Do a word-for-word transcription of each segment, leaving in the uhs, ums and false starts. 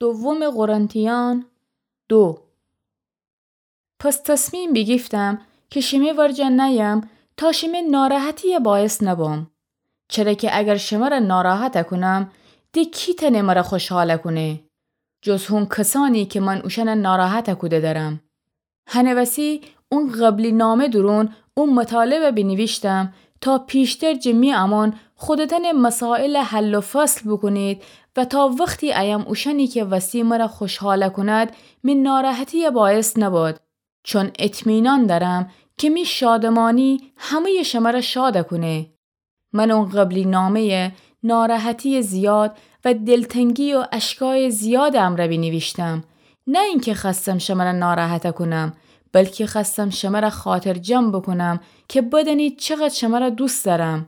دوم قرنتیان دو. پس تصمیم بیگیفتم که شمه ورجه نأیم تا شمه ناراحتیه باعث نبم. چره که اگر شمره ناراحت کونم، ده کی تأنه مره خوشحال کونه؟ جز هون کسأنی که من اوشأنه ناراحت کوده درم. هنه وسی اون قبلی نامه دورون اون مطالبه بینیویشتم تا پیشتر جه می امون خودتأنه مسائل حل و فصل بوکونید و تا وختی ایم اوشأنی که وسی مره خوشحال کوند، می ناراحتیه باعث نبد. چون اطمینان دأرم که می شادمانی همه‌ی شمره شاد کونه. من اون قبلی نامه‌یه ناراحتی زیاد و دلتنگی و اشکای زیاد امرأ بینیویشتم. نه اینکه خوأستم شمره ناراحت کونم، بلکی خوأستم شمره خاطرجم بوکونم که بدأنید چقدر شمره دوست دأرم.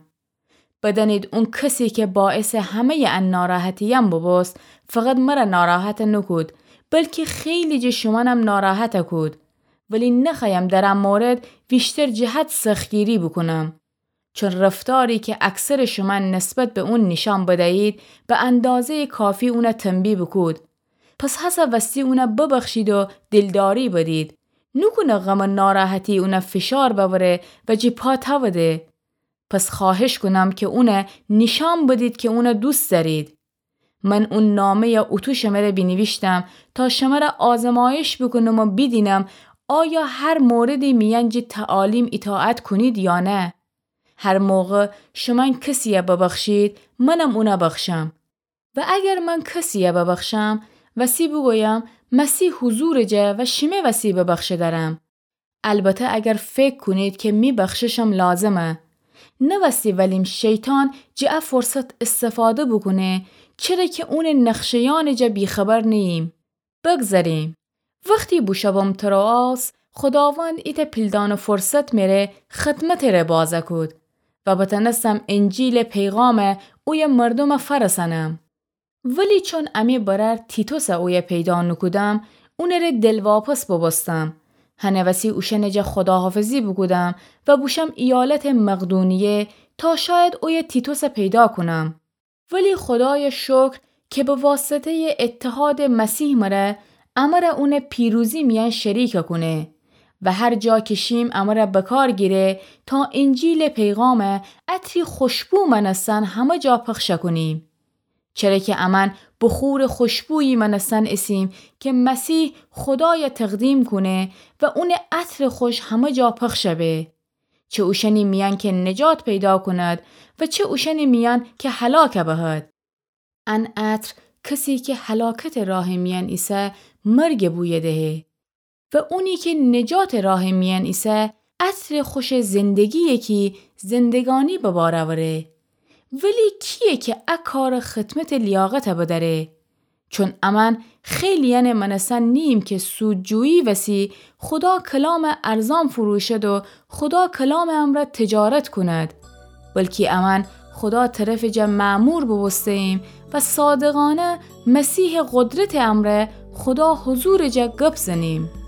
بدأنید اون کسی که باعث همه‌ی ان ناراحتییم ببوست، فقط مره ناراحت نوکود، بلکی خیلی جه شومأنم ناراحت کود. ولی نخوأیم در ان مورد ویشتر جه حد سختگیری بوکونم. چون رفتاری که اکثر شومأن نسبت به اون نیشأن بدهید، به اندازه‌ی کافی اونه تنبیه بوکود. پس هسه وستی اونه ببخشید و دلداری بدید. نوکونه غم و ناراحتی اونه فشار بأوره و جه پا تأوده. پس خوأهش کونم که اونه نیشأن بدید که اونه دوست دأرید. من اون نامه‌یه اوتو شمره بینیویشتم تا شمره آزمایش بوکونم و بیدینم آیا هر موردی میأن جه تعالیم ایطاعت کونید یا نه. هر موقع شومأن کسیه ببخشید، منم اونه بخشم. و اگر من کسیه ببخشم، وسی بوگویم مسیح حضورٚ جا و شمه وسی ببخشه درم. البته اگر فکر کونید که می بخششم لازمه. نه وسی ولیم شیطان جه ا فرصت استفاده بوکونه، چره که اونٚ نقشه‌یأنٚ جا بی‌خبر نییم. بگذریم. وختی بوشوم تروآس، خوداوند ایتأ پیلدان فرصت مره خدمتٚ ره بازه کود و بتأنستم انجیلٚ پیغام اویه مردومه فرسأنم. ولی چون امی برأر تیتوسه اویه پیدا نوکودم، اونٚ ره دلواپس بوبوستم. هنه وسی اوشأنٚ جا خداحافظی بوکودم و بوشم ایالتٚ مقدونیه تا شاید اویه تیتوسه پیدا کونم. ولی خدایه شکر که به واسطه‌یٚ اتحادٚ مسیح مره امره اونٚ پیروزی میأن شریک کونه و هر جا که شیم امره بکار گیره تا انجیلٚ پیغامه عطری خوشبو مأنستن همه جا پخش کونیم. چره که امأن بخورٚ خوشبویی مأنستن ایسیم که مسیح خدایه تقدیم کونه و اونٚ عطرٚ خوش همه جا پخش به. چه اوشأنی میأن که نجات پیدا کوند و چه اوشأنی میأن که هلاک بهد. ان عطر کسی که هلاکتٚ راهٚ میأن ایسه مرگٚ بویه دهه و اونی که نجاتٚ راهٚ میأن ایسه عطرٚ خوشٚ زندگییه کی زندگانی به بار اوره. ولی کییه که ا کارٚ خدمتٚ لیاقت بدأره؟ چون امأن خیلیأنٚ مأنستن نیییم که سودجویی وسی خدا کلامه ارزان فروشد و خدا کلامٚ امرأ تجارت کوند، بلکی امأن خدا طرفٚ جا مأمور بوبوسته‌ییم و صادقانه مسیحٚ قدرتٚ امرأ خدا حضورٚ جا گپ زنیم.